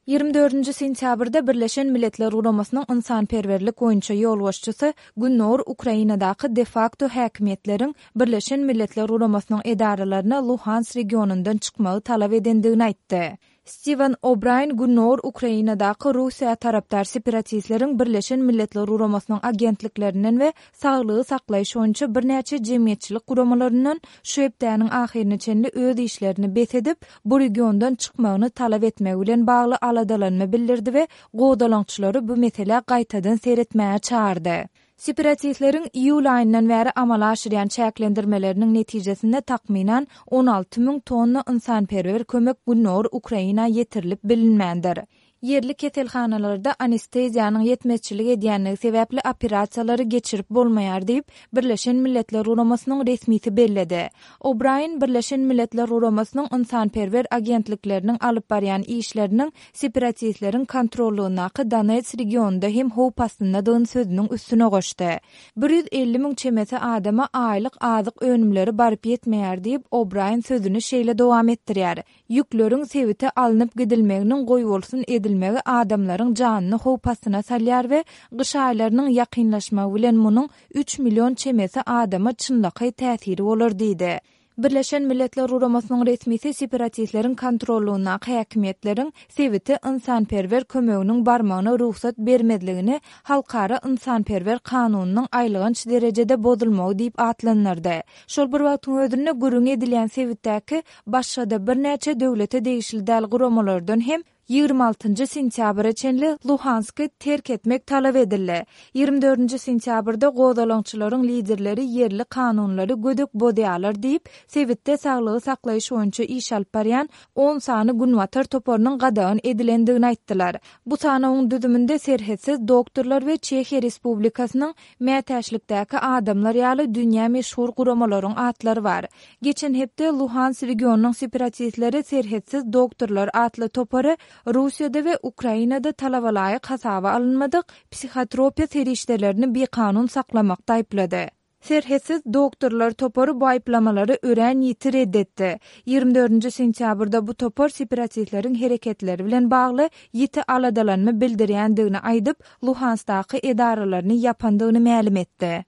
Ýigrimi dördünji sentýabrda Birleşen Milletler Guramasynyň ynsanperwerlik boýunça ýolbaşçysy Gündogar Ukrainadaky de-fakto häkimiýetleriň Birleşen Milletler Guramasynyň edaralaryna Luhansk regionyndan çykmagy talap edendigini aýtdy. Stiwen O'Braýn Gündogar Ukrainadaky Russiýa tarapdar separatistleriň Birleşen Milletler Guramasynyň agentliklerinden we saglygy saklaýyş boýunça birnäçe jemgyýetçilik guramalaryndan şu hepdäniň ahyryna çenli öz işlerini bes edip, bu regiondan çykmagyny talap etmegi bilen bagly aladalanma bildirdi we gozgalaňçylary bu meselä gaýtadan seretmäge çagyrdy. Separatistleriň iýul aýyndan bäri amala aşyrýan çäklendirmeleriniň netijesinde takmynan 16 müň tonna ynsanperwer kömek gündogar Ukraina ýetirilip bilinmändir. Ýerli keselhanalarda anesteziýanyň ýetmezçilik edýänligi sebäpli operasiýalary geçirip bolmaýar diýip, Birleşen Milletler Guramasynyň resmisi belledi. O'Braýen Birleşen Milletler Guramasynyň ynsanperwer agentlikleriniň alyp barýan işleriniň separatistleriň kontrollygyndaky Donets regionynda hem howp astyndadygyny sözüniň üstüne goşdy. 150 müň çemesi adama aýlyk azyk önümleri baryp ýetmeýär diýip, O'Braýen sözüni şeýle dowam etdirýär, Ýükleriň sebite alnyp gidilmeginiň goýbolsun edilmegi adamlaryň janyny howp astyna salýar we gyş aýlarynyň ýakynlaşmagy bilen munuň üç million çemesi adama çynlakaý täsiri bolar diýdi. Birleşen Milletler Guramasynyň resmisi separatistleriň kontrollygyndaky häkimiýetleriň sebite ynsanperwer kömeginiň barmagyna rugsat bermezligini halkara ynsanperwer kanunynyň aýylganç derejede bozulmagy diýip atlandyrdy. Şol bir wagtyň özünde gürrüňi edilýän sebitdäki başga-da birnäçe döwlete degişli däl guramalardan hem ýigrimi altynjy sentýabra çenli Luhansky terk etmek talap edildi. Ýigrimi dördünji sentýabrda gozgalaňçylaryň liderleri ýerli kanunlary gödek bozýarlar diýip, sebitde saglygy saklaýyş boýunça iş alyp barýan on sany günbatar toparynyň gadagan edilendigini aýtdylar. Bu sanawyň düzüminde Serhetsiz doktorlar we Çehiýa Respublikasynyň Mätäçlikdäki adamlar ýaly dünýä meşhur guramalaryň atlary bar. Geçen hepde Luhansk regionynyň separatistleri Serhetsiz doktorlar atly topary Russiýada we Ukrainada talabalaýyk hasaba alynmadyk psihotropiýa serişdelerini bikanun saklamakda aýyplady. Serhetsiz doktorlar topary bu aýyplamalary örän ýiti ret etdi. Ýigrimi dördünji sentýabrda bu topar separatistleriň hereketleri bilen bagly ýiti aladalanma bildirýändigini aýdyp, Luhanskdaky edaralaryny ýapandygyny mälim etdi.